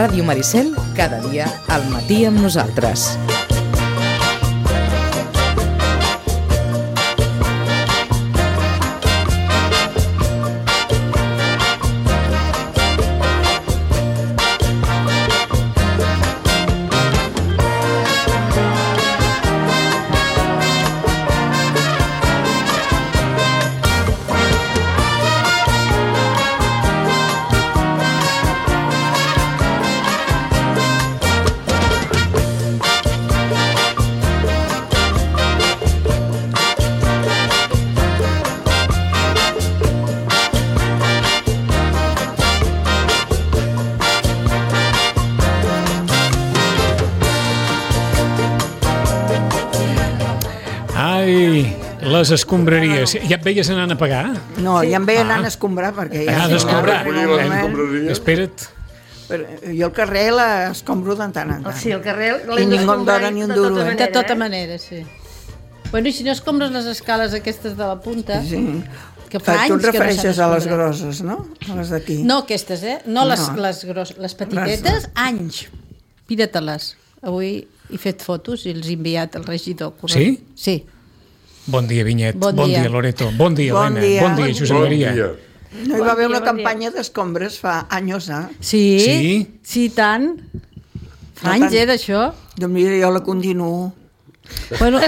Ràdio Maricel, cada dia al matí amb nosaltres. Les escombraries. Ja et veies anant a pagar? No, ja em veia anant a escombrar perquè ja... Espera't. Jo el carrer l'escombro de tant en tant. Sí, el carrer i ningú em dona ni un duro. De tota manera, sí. Bueno, i si no escombres les escales aquestes de la punta... Sí. Que fa anys tu et refereixes a les grosses, no? A les d'aquí. No aquestes, No les grosses. Les petitetes, anys. Mira-te-les. Avui he fet fotos i els he enviat al regidor. Sí? Sí. Bon dia, Vinyet. Bon dia, Loreto. Bon dia, Helena. Bon dia, Josep Maria. No hi va haver una campanya d'escombres fa anys, Sí, tant. Fa anys, d'això. Doncs mira, jo la continuo. Bueno,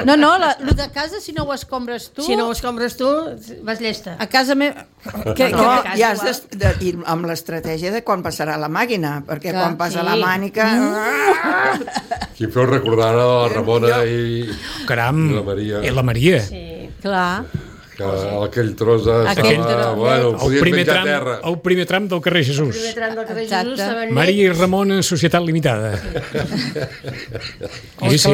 no, el de casa, si no ho escombres tu... Si no ho escombres tu, vas llesta. A casa meva... Ja has ir amb l'estratègia de quan passarà la màquina, perquè quan passa la mànica... Qui feu recordar a la Ramona i la Maria. I la Maria. Sí, clar. Que aquell tros bueno, el primer tram del carrer Jesús. El primer tram del carrer Jesús. Maria i Ramona, Societat Limitada. Sí.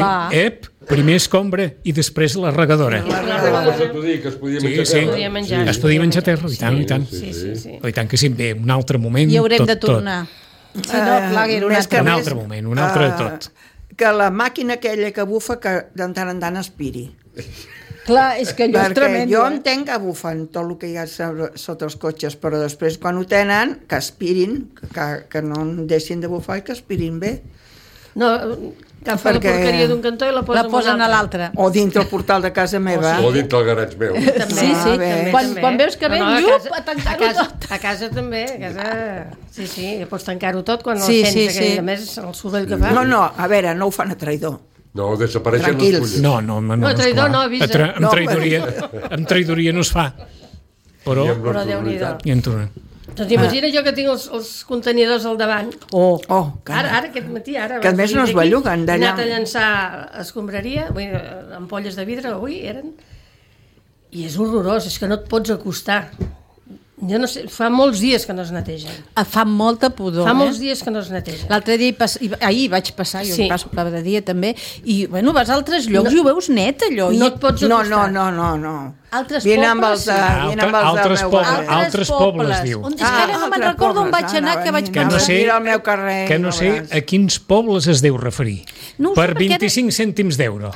Primer escombra i després la regadora. Es podia menjar terra. Es podia menjar terra, i tant. I tant que sí, bé, un altre moment. I haurem de tornar. Un altre moment, un altre de tot. Que la màquina aquella que bufa, que de tant en tant aspiri. Clar, és que allò és tremendo. Jo entenc que bufen tot el que hi ha sota els cotxes, però després quan ho tenen, que aspirin, que no deixin de bufar i que aspirin bé. No, agafa la porqueria d'un cantó i la posen a l'altre. O dintre el portal de casa meva. O dintre el garatge meu. Sí, quan veus que ve, a tancar-ho tot. A casa també, sí, pots tancar-ho tot quan el sents, a més el soroll que fa. No, a veure, no ho fan a traïdor. No, desapareixen les fulles. No, traïdor no avisa. Amb traïdoria no es fa. Però Déu-n'hi-do. I en torna. Doncs imagina jo que tinc els contenidors al davant. Ara, aquest matí, que a més no es belluguen d'allà. He anat a llançar escombraria, ampolles de vidre, avui eren, i és horrorós, és que no et pots acostar. Jo no sé, fa molts dies que no es netegen. Fa molta pudor. Fa molts dies que no es netegen. L'altre dia, ahir vaig passar, jo passo cada dia també, i bueno, vas a altres llocs i ho veus net, allò. No et pots acostar. No. Altres pobles, altres pobles, diu. És que ara no me'n recordo on vaig anar, que vaig pensar. Que no sé a quins pobles es deu referir. Per 25 cèntims d'euro.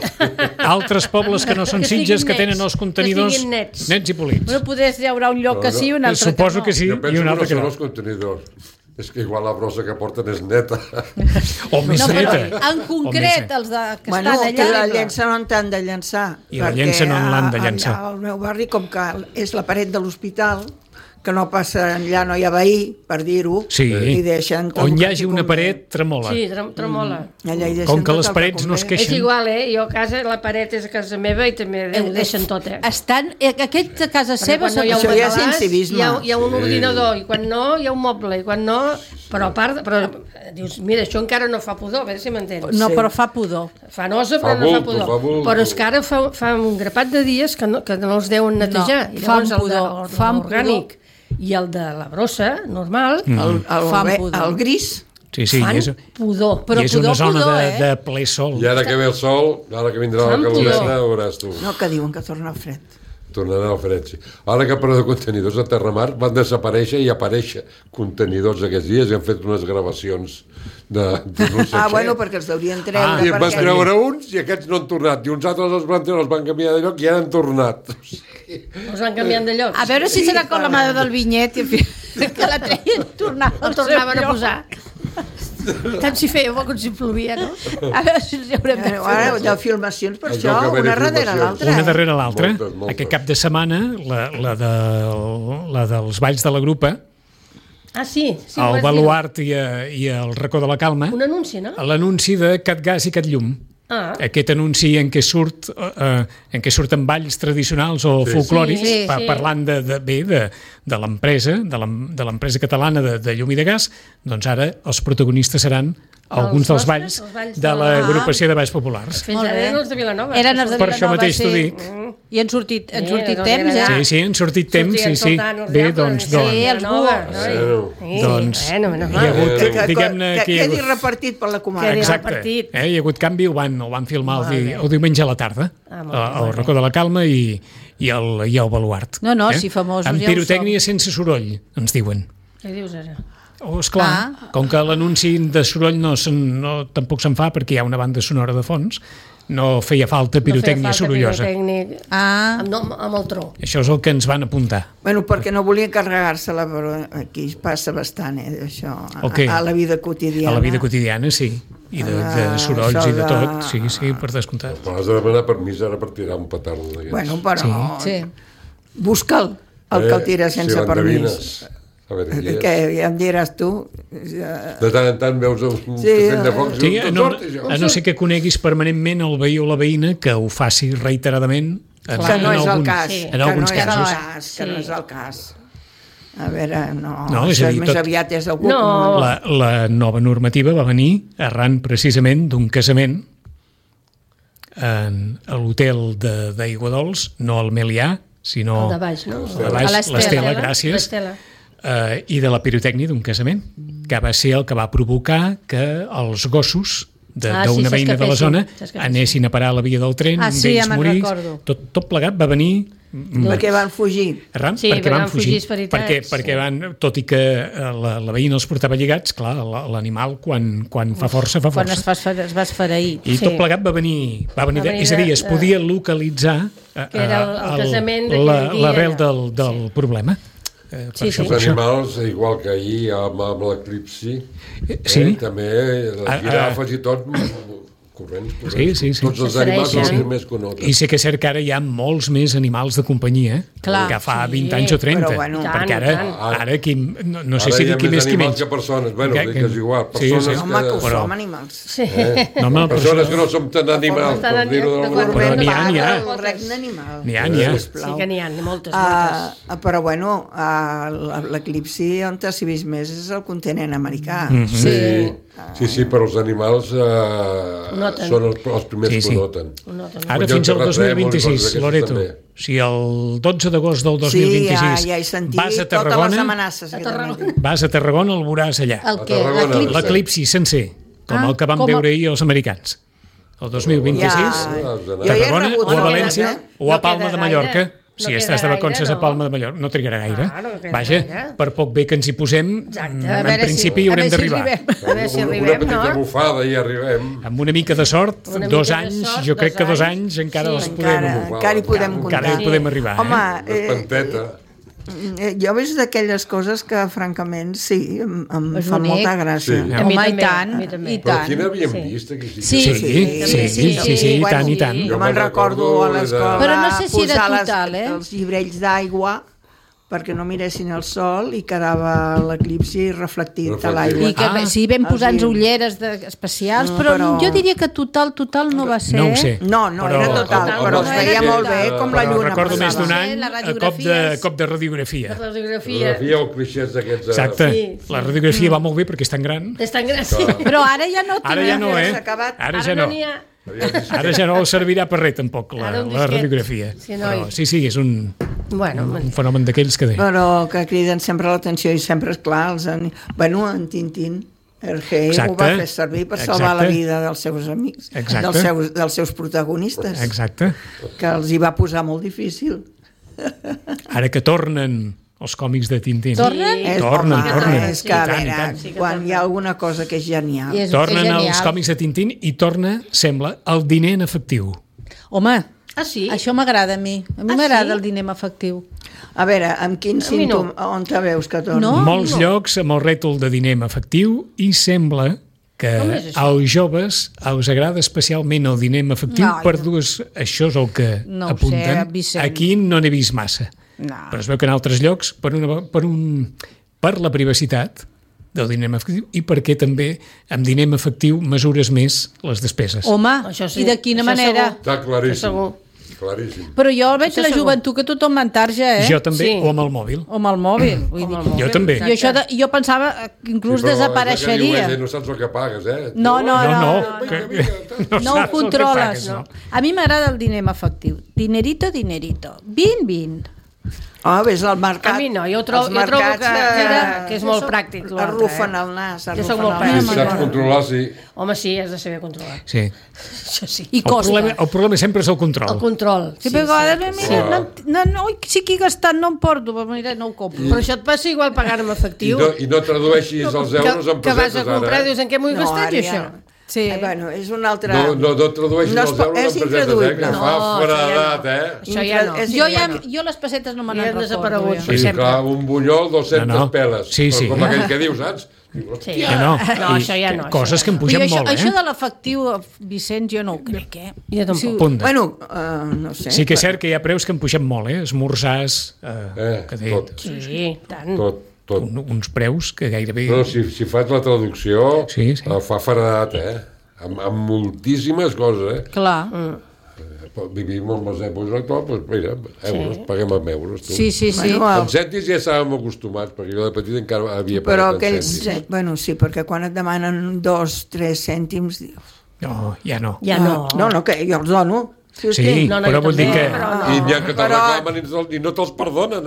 Altres pobles que no són Sitges, que tenen els contenidors nets i polits. Però potser hi haurà un lloc que sí i un altre que no. Suposo que sí i un altre que no. Jo penso que no són els contenidors. És que igual la brossa que porten és neta. O més neta. En concret, els que estan allà... que la llença no en t'han de llançar. I la llença no en l'han de llançar. Al meu barri, com que és la paret de l'hospital, que no passa enllà, no hi ha veí, per dir-ho, i deixen... On hi hagi una paret, tremola. Sí, tremola. Com que les parets no es queixen. És igual, jo a casa, la paret és a casa meva i també ho deixen tot, Aquest a casa seva... Això ja és incivisme. Hi ha un ordinador, i quan no, hi ha un moble, i quan no... Però a part... Dius, mira, això encara no fa pudor, a veure si m'entens. No, però fa pudor. Fa nosa, però no fa pudor. Però és que ara fa un grapat de dies que no els deuen netejar. Fa pudor, fa orgànic. I el de la brossa, normal, el gris, fan pudor. I és una zona de ple sol. I ara que ve el sol, ara que vindrà la caloreta, veuràs tu. No, que diuen que torna el fred. Tornarà al fred, sí. Ara que parleu de contenidors a Terramar, van desaparèixer i aparèixer contenidors aquests dies i han fet unes gravacions de no sé què. Bueno, perquè els deurien treure. I en van treure uns i aquests no han tornat. I uns altres els van treure, els van canviar de lloc i ara han tornat. Els van canviant de lloc. A veure si serà com la mare del Vinyet. que la treien tornaven a posar. Tant si feia bo com si plovia, no? A veure si els haurem de fer. Ara, de filmacions, per això, una darrere l'altra. Una darrere l'altra. Moltes. Aquest cap de setmana, la dels Balls de la Grupa, Sí, el Baluart i el Racó de la Calma, un anunci, no? l'anunci de Catgas i Catllum. Aquest anunci en què surten balls tradicionals o folclòrics, parlant de l'empresa, de l'empresa catalana de llum i de gas, doncs ara els protagonistes seran alguns dels balls de l'agrupació de balls populars. Fins ara eren els de Vilanova. Eren els de Per això mateix t'ho dic. I han sortit temps, ja? Sí, han sortit temps, sí. Bé, doncs... Sí, els buos. Doncs hi ha hagut, diguem-ne... Que quedi repartit per la comarca. Exacte. Hi ha hagut canvi, ho van filmar el diumenge a la tarda, al Racó de la Calma i el Baluart. No, si famosos ja ho som. Amb pirotècnia sense soroll, ens diuen. Què dius ara? Esclar, com que l'anunci de soroll tampoc se'n fa perquè hi ha una banda sonora de fons, no feia falta pirotècnia sorollosa. Amb el tro. Això és el que ens van apuntar. Bueno, perquè no volien carregar-se-la, però aquí passa bastant, això, a la vida quotidiana. A la vida quotidiana, sí. I de sorolls i de tot, sí, per descomptat. Però has de demanar permís ara per tirar un petard d'aquests. Bueno, però... Busca'l, el que el tira sense permís. Que ja em diràs tu. De tant en tant veus un castell de foc i a no ser que coneguis permanentment el veí o la veïna que ho faci reiteradament que no és el cas. En alguns casos. Que no és el cas. A veure, no és a dir, més aviat és algú... La nova normativa va venir arran precisament d'un casament a l'hotel d'Aiguadols, no al Melià, sinó el de baix, no? l'Estela, gràcies. I de la pirotècnia d'un casament, que va ser el que va provocar que els gossos d'una veïna de la zona anessin a parar a la via del tren, d'ells morís, tot plegat va venir... Perquè van fugir. Perquè van fugir, perquè van, tot i que la veïna els portava lligats, clar, l'animal quan fa força, fa força. Quan es va esfereir. I tot plegat va venir és a dir, es podia localitzar l'arrel del problema. Els animals, igual que ahir amb l'eclipsi, també les girafes i tot, corrents. Tots els animals són els més coneguts. I sé que és cert que ara hi ha molts més animals de companyia que fa 20 anys o 30, perquè ara no sé si qui més qui menys. Ara hi ha més animals que persones, bueno, que és igual. Home, que som animals. Persones que no som tan animals, per dir-ho d'alguna manera. Però n'hi ha. El regne animal. N'hi ha. Sí que n'hi ha, moltes. Però bueno, l'eclipsi on s'hi vist més és el continent americà. Sí, però els animals són els primers que ho noten. Ara fins al 2026, Loreto. Si el 12 d'agost del 2026 ja he sentit totes les amenaces. Vas a Tarragona, el veuràs allà. L'eclipsi sencer, com el que vam veure ahir els americans. El 2026, a Tarragona o a València o a Palma de Mallorca. Si estàs de vacances a Palma de Mallorca, no trigarà gaire. Vaja, per poc bé que ens hi posem, en principi hi haurem d'arribar. A veure si arribem, una petita bufada i arribem. Amb una mica de sort, 2 anys, jo crec que 2 anys encara els podem... Encara hi podem comptar. Encara hi podem arribar. Home, espanteta. Jo veig d'aquelles coses que, francament, sí, em fa molta gràcia. Home, i tant. Però aquí n'havíem vist, aquí Sí, i tant. Jo me'n recordo a l'escola però no sé si era total, els llibrells d'aigua perquè no miressin el sol i quedava l'eclipsi reflectit a l'aigua. I que sí, vam posar-nos ulleres especials, però jo diria que total no va ser. No ho sé. No, era total, però es veia molt bé com la lluna. Recordo més d'un any a cop de radiografia. Radiografia o clixés d'aquests... Exacte. La radiografia va molt bé perquè és tan gran. És tan gran, sí. Però ara ja no. Ara ja no, Ara ja no. Ara ja no servirà per res, tampoc, la radiografia. Però sí, és un fenomen d'aquells que... Però que criden sempre l'atenció i sempre, és clar, en Tintín, Hergé ho va fer servir per salvar la vida dels seus amics, dels seus protagonistes. Exacte. Que els hi va posar molt difícil. Ara que tornen els còmics de Tintín. Tornen? Tornen. És que, a veure, quan hi ha alguna cosa que és genial... Tornen els còmics de Tintín i torna, sembla, el diner en efectiu. Home, Ah, sí? Això m'agrada a mi. A mi m'agrada el diner amb efectiu. A veure, amb quin símptom, on te veus que torna? Molts llocs amb el rètol de diner amb efectiu i sembla que als joves us agrada especialment el diner amb efectiu per dues... Això és el que apunten. Aquí no n'he vist massa. Però es veu que en altres llocs, per la privacitat del diner amb efectiu i perquè també amb diner amb efectiu mesures més les despeses. Home, i de quina manera? Està claríssim. Però jo veig la joventut que tothom m'entarja, Jo també, o amb el mòbil. O amb el mòbil. Jo també. Jo pensava que inclús desapareixeria. No saps el que pagues, No ho controles. A mi m'agrada el diner amb efectiu. Dinerito. 20. Ves al mercat. A mi no, jo trobo que és molt pràctic. Arrufen el nas. Jo soc molt pràctic. Si saps controlar, sí. Home, sí, has de saber controlar. Sí. Això sí. I costa. El problema sempre és el control. El control. Sí, però a vegades, sí que he gastat, no em porto, mira, no ho compro. Però això et passa igual pagar en efectiu. I no tradueixis els euros en pessetes, ara. Que vas a comprar, dius, en què m'ho he gastat, això? Sí. Bueno, és un altre... No tradueixis els euros en pessetes, que fa foradat, Això ja no. Jo les pessetes no me n'han desaparegut. Sí, clar, un bunyol, 200 peles. Sí. Com aquell que dius, saps? No, això ja no. Coses que em pugen molt, Això de l'efectiu, Vicenç, jo no ho crec, Jo tampoc. Bueno, no sé. Sí que és cert que hi ha preus que em pugen molt, esmorzars... Tot. Sí, tant. Tot. Uns preus que gairebé... No, si fas la traducció, fa faradat, amb moltíssimes coses, Clar. Vivim amb els euros actuals, doncs mira, euros, paguem amb euros. Tu. Sí. En cèntims ja estàvem acostumats, perquè jo de petit encara havia pagat en cèntims. Bueno, sí, perquè quan et demanen 2-3 cèntims... No, ja no. No, que jo els dono. Sí, però vol dir que... I n'hi ha que te'ls reclamen i no te'ls perdonen,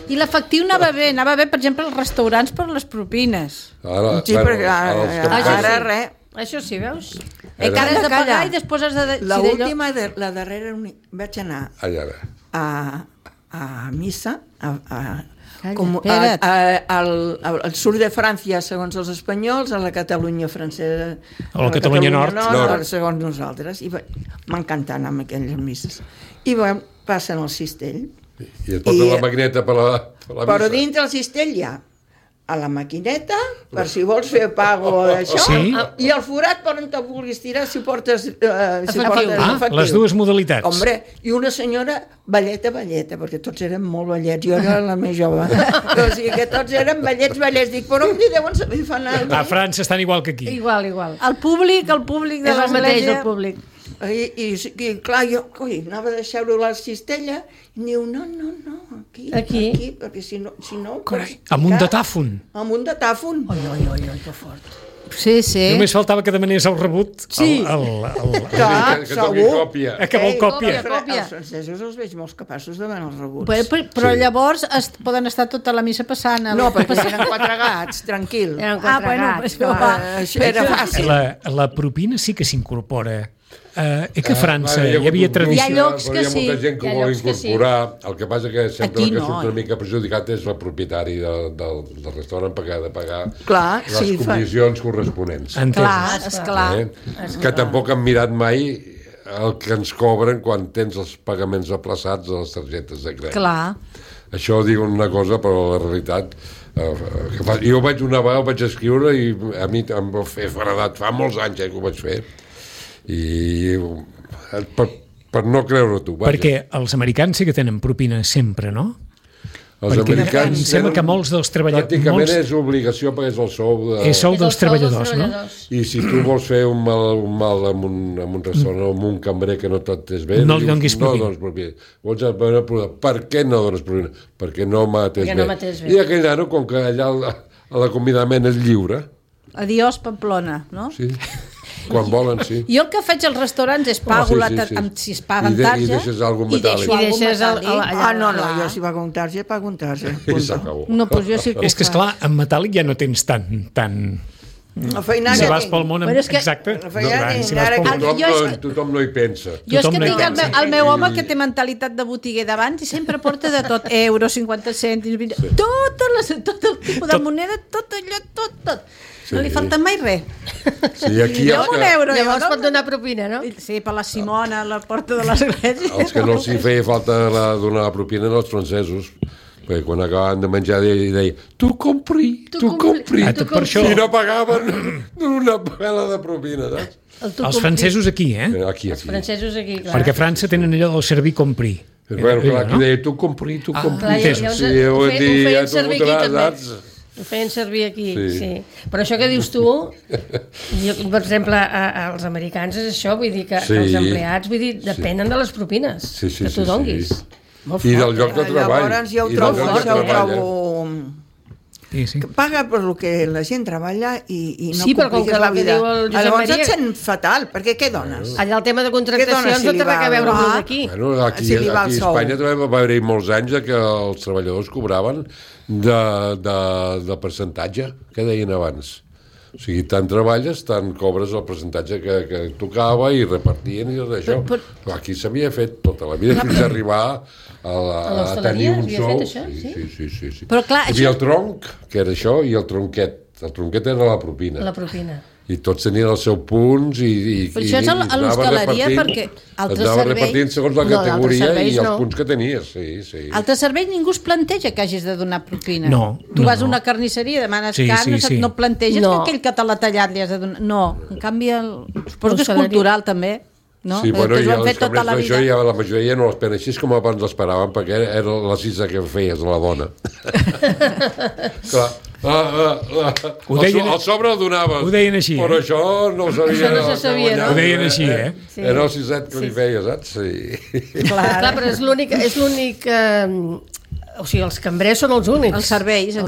I l'efectiu anava bé, per exemple, als restaurants per les propines. Sí, perquè ara res. Això sí, veus? Que has de pagar i després has de... L'última, la darrera, vaig anar a missa, al sud de França, segons els espanyols, a la Catalunya francesa, a la Catalunya Nord, segons nosaltres. I m'encanta anar amb aquelles misses. I passen el cistell. I et posen la maquineta per la missa. Però dintre el cistell hi ha a la maquineta, per si vols fer pago d'això, i el forat per on te vulguis tirar si portes efectiu. Les dues modalitats. Hombre, i una senyora balleta, perquè tots eren molt ballets, jo era la més jove. O sigui que tots eren ballets. Dic, però on hi deuen saber fer anar? A França estan igual que aquí. Igual. El públic de l'església. I clar, jo anava a deixar-ho a la cistella i diu, no, aquí, perquè si no... Amb un datàfon. Amb un datàfon. Oi, que fort. Sí. Només faltava que demanés el rebut. Sí. Que toqui còpia. Que vol còpia. Els francesos els veig molt capaços de demanar els rebuts. Però llavors poden estar tota la missa passant. No, perquè eren 4 gats, tranquil. Era fàcil. La propina sí que s'incorpora. Que a França hi havia tradició. Hi ha llocs que sí. Hi ha molta gent que vol incorporar. El que passa que sempre que surt una mica perjudicat és el propietari del restaurant perquè ha de pagar les comissions corresponents. Esclar. Que tampoc han mirat mai el que ens cobren quan tens els pagaments aplaçats de les targetes de crèdit. Clar. Això diuen una cosa, però la realitat... Jo una vegada ho vaig escriure i a mi em va fer faradat. Fa molts anys que ho vaig fer. I per no creure tu. Perquè els americans sí que tenen propina sempre, no? Els americans sembla que molts dels treballadors... Pràcticament és obligació perquè és el sou... És sou dels treballadors, no? I si tu vols fer un mal amb un restaurant o amb un cambrer que no t'atès bé... No li donis propina. No dones propina. Per què no dones propina? Perquè no m'atès bé. I aquell nano, com que allà l'acomiadament és lliure... Adiós, Pamplona, no? Sí. Quan volen, sí. Jo el que faig als restaurants és pago si es paguen tarja i deixes algun metàl·lic. No, jo si pago un tarja, pago un tarja. I s'acabó. No, doncs jo sí que és que, esclar, en metàl·lic ja no tens tant... Si vas pel món... Exacte. Tothom no hi pensa. Jo és que tinc el meu home que té mentalitat de botiguer d'abans i sempre porta de tot, euros, 50 cèntims, tot el tipus de moneda, tot allò, tot. No li falta mai res. Sí, aquí Llavors pot donar propina, no? Sí, per la Simona, a la porta de l'església. Els que no els hi feia falta donar la propina eren els francesos, perquè quan acabaven de menjar deia tu compri. I no pagaven una pela de propina, saps? Els francesos aquí, Aquí. Els francesos aquí, clar. Perquè a França tenen allò del servir compri. Bueno, clar, aquí deia tu compri. Sí, ho feien servir aquí també. Ho feien servir aquí, sí. Però això que dius tu, per exemple, als americans és això, vull dir que els empleats, depenen de les propines que tu donguis. I del lloc de treball. Llavors jo ho trobo... Paga per el que la gent treballa i no compliques la vida. Llavors et sent fatal, perquè què dones? Allà el tema de contractacions no té res a veure amb d'aquí. Aquí a Espanya també va haver-hi molts anys que els treballadors cobraven de percentatge, que deien abans. O sigui, tant treballes, tant cobres el percentatge que tocava i repartien i tot això. Però aquí s'havia fet tota la vida fins a arribar a tenir un sou. Sí. Però clar, hi havia el tronc, que era això, i el tronquet. El tronquet era la propina. La propina. I tots tenien els seus punts però això és a l'hostaleria perquè altre anava servei... repartint segons la categoria i els punts que tenies, sí. Altre servei ningú es planteja que hagis de donar propina. Tu vas a una carnisseria, demanes carn, no planteges que aquell que te l'ha tallat li has de donar... No, en canvi, suposo que és cultural també. No? Sí, bueno, i els cambrers d'això la majoria no l'esperen així com abans l'esperaven, perquè era la cisa que feies a la dona. Clar. El sobre el donaves. Ho deien així, però això no ho sabia. Això no se sabia, no? Ho deien així, Sí. Era el siset que li feia, saps? Sí. Clar, però és l'únic... O sigui, els cambrers són els únics. Els serveis.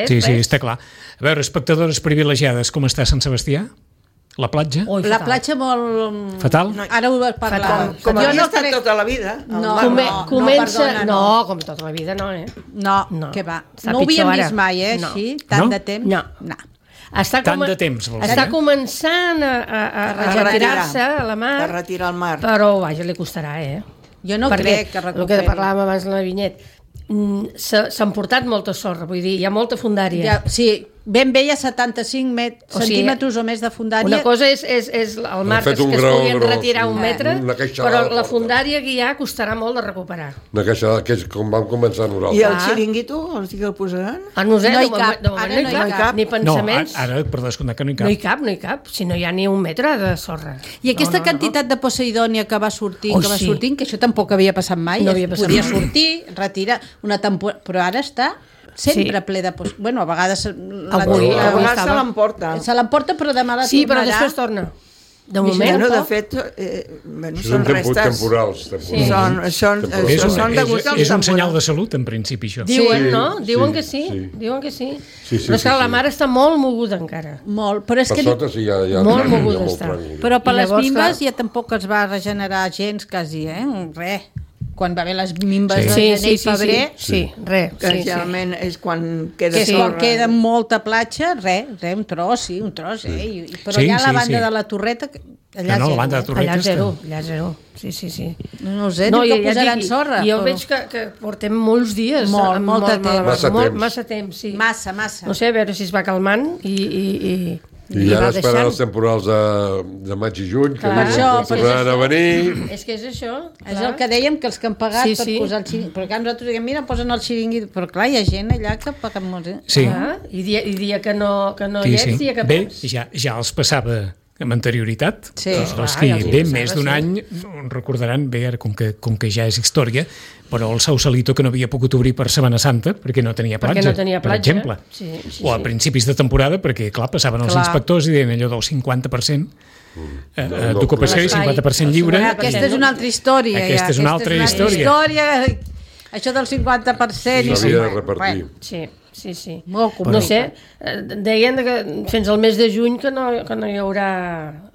Sí, està clar. A veure, espectadores privilegiades, com està Sant Sebastià? La platja? La platja molt... Fatal? Ara ho vas parlar. Com havia estat tota la vida. Comença... No, com tota la vida no, No, què va. No ho havíem vist mai, així, tant de temps. No. Tant de temps, vols dir? Està començant a retirar-se a la mar. A retirar al mar. Però, vaja, li costarà, Jo no crec que recuperi. El que parlàvem abans de la Vinyet. S'han portat molta sorra, vull dir, hi ha molta fundària. Sí, ben bé hi ha 75 centímetres o més de fundària. Una cosa és el mar que es podien retirar un metre, però la fundària que hi ha costarà molt de recuperar. Una queixada, que és com vam començar nosaltres. I el xiringuito, els que el posaran? No hi cap, ni pensaments. Ara, per descomptar que no hi cap. No hi cap, si no hi ha ni un metre de sorra. I aquesta quantitat de Poseidònia que va sortint, que això tampoc havia passat mai, podia sortir, retirar una temporada, però ara està... sempre ple de... Bueno, a vegades... Avui se l'emporta. Se l'emporta, però demà la tornarà. Sí, però després torna. De moment, de fet, són restes... temporals. És un senyal de salut, en principi, això. Diuen, no? Diuen que sí. Diuen que sí. Però és que la mar està molt moguda encara. Molt, però és que... Per sota sí, ja... Molt moguda està. Però per les mimbes ja tampoc es va regenerar gens, quasi, Res. Quan va haver les mimbes de gener i febrer, que generalment és quan queda sorra. Que queda molta platja, un tros, però allà a la banda de la Torreta, allà zero. Allà zero. Sí. No sé, que posaran sorra. Jo veig que portem molts dies. Massa temps, sí. Massa. No sé, a veure si es va calmant i ara esperant els temporals de maig i juny, que tornaran a venir. És que és això. És el que dèiem, que els que han pagat per posar el xiringuit. Però nosaltres diguem, mira, posen el xiringuit. Però clar, hi ha gent allà que paguen molt. Sí. I dia que no hi ets, dia que perds. Bé, ja els passava amb anterioritat. Els que ve més d'un any recordaran bé, ara com que ja és història, però el Sausalito que no havia pogut obrir per Setmana Santa perquè no tenia platja, per exemple. O a principis de temporada, perquè clar, passaven els inspectors i deien allò del 50% d'ocupació i 50% lliure. Aquesta és una altra història. Aquesta és una altra història. Això del 50%... S'havia de repartir. Sí. No sé, deien que fins al mes de juny que no hi haurà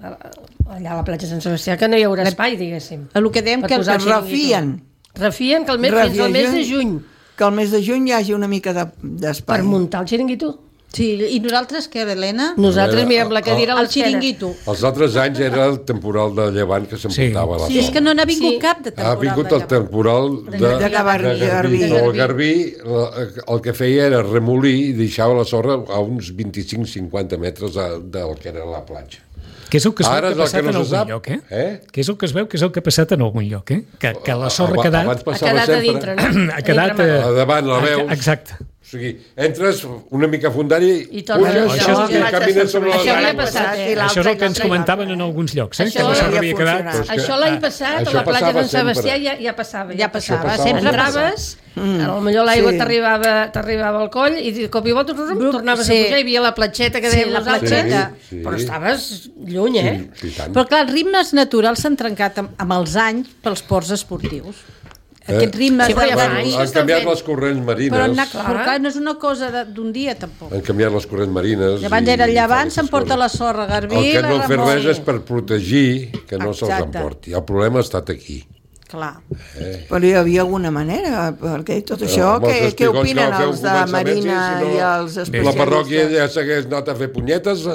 allà a la platja Sant Sebastià, que no hi haurà espai, diguéssim. El que dèiem que els refien que fins al mes de juny. Que al mes de juny hi hagi una mica d'espai. Per muntar el xiringuito. Sí, i nosaltres què, Helena? Nosaltres mirem la cadira al xiringuito. Els altres anys era el temporal de llevant que s'emportava la sorra. Sí, és que no n'ha vingut cap de temporal de llevant. Ha vingut el temporal de Garbí. El Garbí el que feia era remolir i deixava la sorra a uns 25-50 metres del que era la platja. Què és el que es veu que ha passat en algun lloc, eh? Què és el que es veu que és el que ha passat en algun lloc, eh? Que la sorra ha quedat... Ha quedat a dintre, no? Ha quedat a davant, la veus. Exacte. O sigui, entres una mica fondari i puges i camines sobre les aigües. Això és el que ens comentaven en alguns llocs, que la sorra havia quedat... Això l'any passat, a la platja d'en Sebastià ja passava. Ja passava, sempre entraves, potser l'aigua t'arribava al coll i de cop i volta tornaves a pujar, hi havia la platxeta que dèiem nosaltres, però estaves lluny, eh? Però clar, els ritmes naturals s'han trencat amb els anys pels ports esportius. Aquests ritmes han canviat les corrents marines, però no és una cosa d'un dia tampoc. Han canviat les corrents marines. Abans era el llevant, s'emporta la sorra, Garbí, el que no han fet res és per protegir que no se'ls emporti. El problema ha estat aquí. Clar. Però hi havia alguna manera, perquè tot això, què opinen els de Marina i els especialistes? La parròquia ja s'hagués anat a fer punyetes,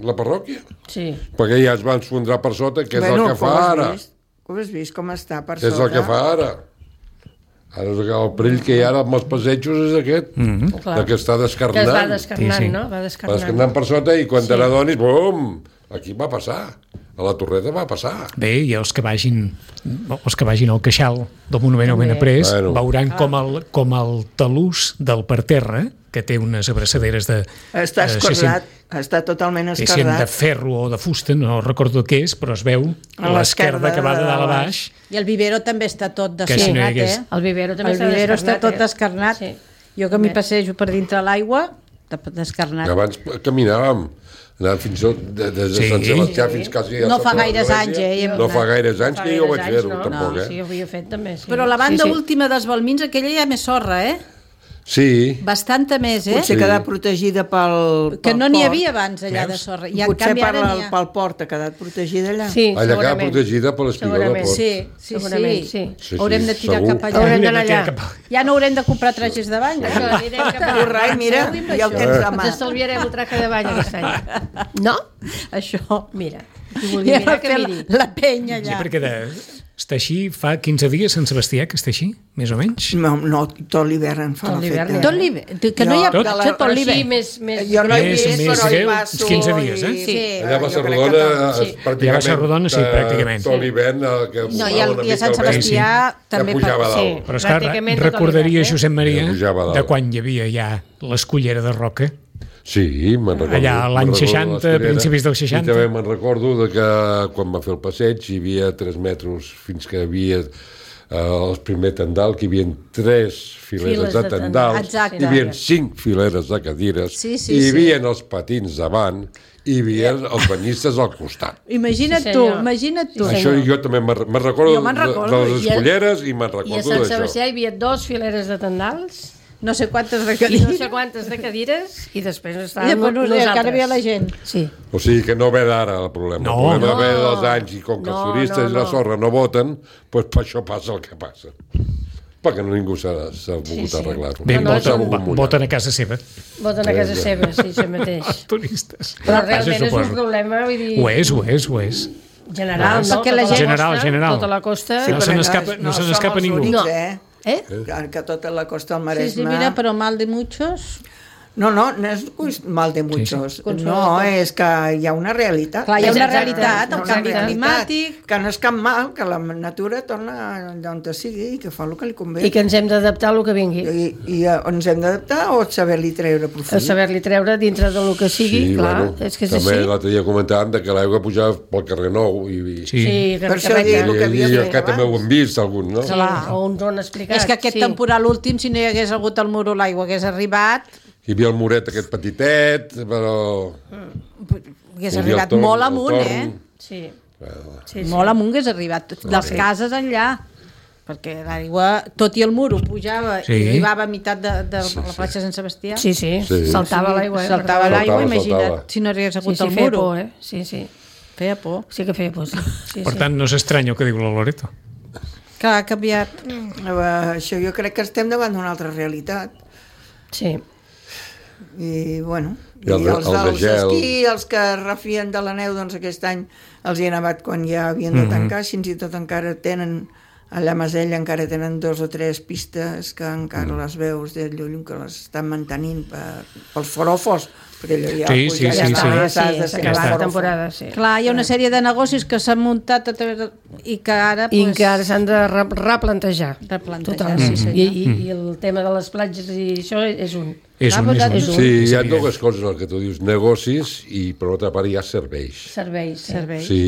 la parròquia? Sí. Perquè ja es va esfondrar per sota, que és el que fa ara. Ho has vist com està per sota? És el que fa ara. El perill que hi ha amb els passejos és aquest, que està descarnant. Que es va descarnant, no? Va descarnant per sota i quan te n'adonis, bum, aquí va passar. A la Torreta va passar. Bé, i els que vagin al queixal del Monument al Benaprés veuran com el talús del parterre, que té unes abraçaderes de... Està escordat, està totalment escordat. De ferro o de fusta, no recordo què és, però es veu a l'esquerda que va de dalt a baix. I el vivero també està tot descarnat, eh? El vivero també està tot descarnat. Jo que m'hi passejo per dintre l'aigua, descarnat. Abans caminàvem, anàvem fins des de Sant Sebastià fins quasi a no fa gaires anys, no fa gaires anys que jo vaig fer-ho, tampoc, Sí, ho havia fet també, sí. Però la banda última dels Balmins, aquella hi ha més sorra, eh? Sí. Bastanta més, eh? Potser quedat protegida pel port. Que no n'hi havia abans allà de sorra. I potser pel port ha quedat protegida allà. Sí, allà ha quedat protegida per l'espigó del port. Sí. Haurem de tirar cap allà. Haurem d'anar allà. Ja no haurem de comprar trajes de bany. Corrai, mira, ja ho tens a mà. Ens estalviarem el traje de bany aquest any. No? Això. Mira. Qui vulgui mirar que miri. La penya allà. Sí, perquè està així, fa 15 dies Sant Sebastià que està així, més o menys? No, tot l'hivern en fa l'efecte. Tot l'hivern? Que no hi ha tot l'hivern. Jo no he vist, però hi passo... 15 dies, eh? Sí. Allà a Basarrodona, pràcticament, sí, pràcticament. Tot l'hivern... No, i a Sant Sebastià també... Però és que recordaria Josep Maria de quan hi havia ja l'escullera de Roca. Sí, me'n recordo. Allà l'any 60, principis del 60. I també me'n recordo que quan va fer el passeig hi havia 3 metres fins que hi havia el primer tendal, que hi havia 3 fileres de tendals, hi havia 5 fileres de cadires, hi havia els patins davant, hi havia els banyistes al costat. Imagina't tu. Això jo també me'n recordo de les escolleres i me'n recordo d'això. I a Sant Sebastià hi havia 2 fileres de tendals, no sé quantes de cadires, i després estàvem nosaltres. Encara havia la gent. Sí. O sigui que no ve d'ara el problema. El problema ve dels anys, i com que els turistes i la sorra no voten, doncs per això passa el que passa. Perquè ningú s'ha volgut arreglar-ho. Bé, voten a casa seva. Voten a casa seva, sí, això mateix. Els turistes. Però realment és un problema, vull dir... Ho és. General, no? General. Tota la costa... No se n'escapa ningú. No. Que tota la costa del Maresme... Sí, mira, però mal de muchos... No és mal de muchos. No, és que hi ha una realitat. Clar, hi ha una realitat, el canvi climàtic... Que no és cap mal, que la natura torna d'on sigui i que fa el que li convé. I que ens hem d'adaptar a el que vingui. I ens hem d'adaptar o saber-li treure profit? Saber-li treure dintre del que sigui, clar, és que és així. També l'altre dia comentàvem que l'aigua pujava pel carrer Nou. Sí, per això dic el que havia fet abans. Que també ho hem vist, alguns, no? O uns ho han explicat. És que aquest temporal últim, si no hi hagués hagut el muro, l'aigua hagués arribat... Hi havia el muret aquest petitet, però... Hagués arribat molt amunt, eh? Sí. Molt amunt hagués arribat. Les cases enllà. Perquè l'aigua, tot i el muro, pujava i arribava a meitat de la platja de Sant Sebastià. Sí. Saltava l'aigua. Saltava l'aigua, imagina't, si no hagués hagut el muro. Sí. Feia por. Sí que feia por, sí. Per tant, no s'estranya el que diu la Loreto. Que ha canviat. Això jo crec que estem davant d'una altra realitat. Sí. I, bueno, i els dels esquí, els que refien de la neu, doncs aquest any els hi he nevat quan ja havien de tancar, fins i tot encara tenen, allà a Masella encara tenen 2 o 3 pistes que encara les veus de lluny, que les estan mantenint pels forofos, perquè allò ja la temporada, sí. Clar, hi ha una sèrie de negocis que s'han muntat i que ara... I que ara s'han de replantejar. I el tema de les platges i això és un. Sí, hi ha dues coses, el que tu dius, negocis i per l'altra part hi ha serveis. Serveis. Sí,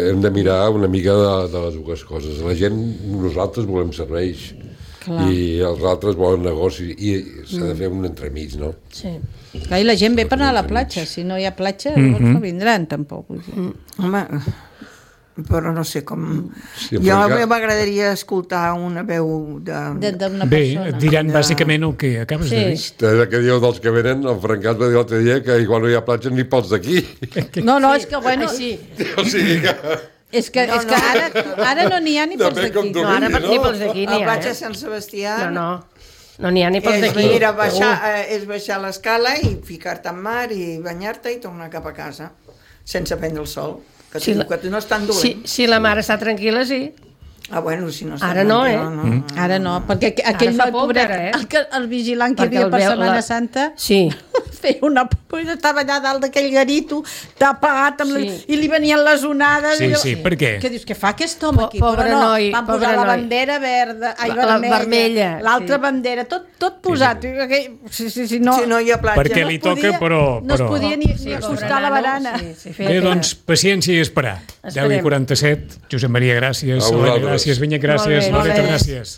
hem de mirar una mica de les dues coses. La gent, nosaltres volem serveis. Clar. I els altres volen negoci i s'ha de fer un entremig, no? Sí. Clar, i la gent ve per anar a la platja. Si no hi ha platja, no vindran, tampoc. Home, però no sé com... Sí, jo m'agradaria escoltar una veu d'una persona. Bé, et diran bàsicament el que acabes de dir. El que diu dels que venen, el Francat va dir l'altre dia que igual no hi ha platja ni pels d'aquí. No, és que bueno... O sigui que... És que ara no n'hi ha ni pels d'aquí. No, ara ni pels d'aquí n'hi ha. A platja Sant Sebastià... No n'hi ha ni pels d'aquí. És baixar l'escala i ficar-te en mar i banyar-te i tornar cap a casa, sense prendre el sol. Que no és tan dolent. Si la mare està tranquil·la, sí. Bueno, si no està ara no, Ara no, perquè aquell noi pobret, el vigilant que hi havia per Setmana Santa, feia una por, estava allà dalt d'aquell garito, tapat, i li venien les onades. Sí, per què? Què dius, què fa aquest home aquí? Pobre noi. Van posar la bandera vermella, l'altra bandera, tot posat. Si no hi ha platja. Perquè li toca, però... No es podia ni acostar a la barana. Bé, doncs, paciència i esperar. 10:47, Josep Maria, gràcies. Gràcies, Vinyet, gràcies. Loreta, gràcies.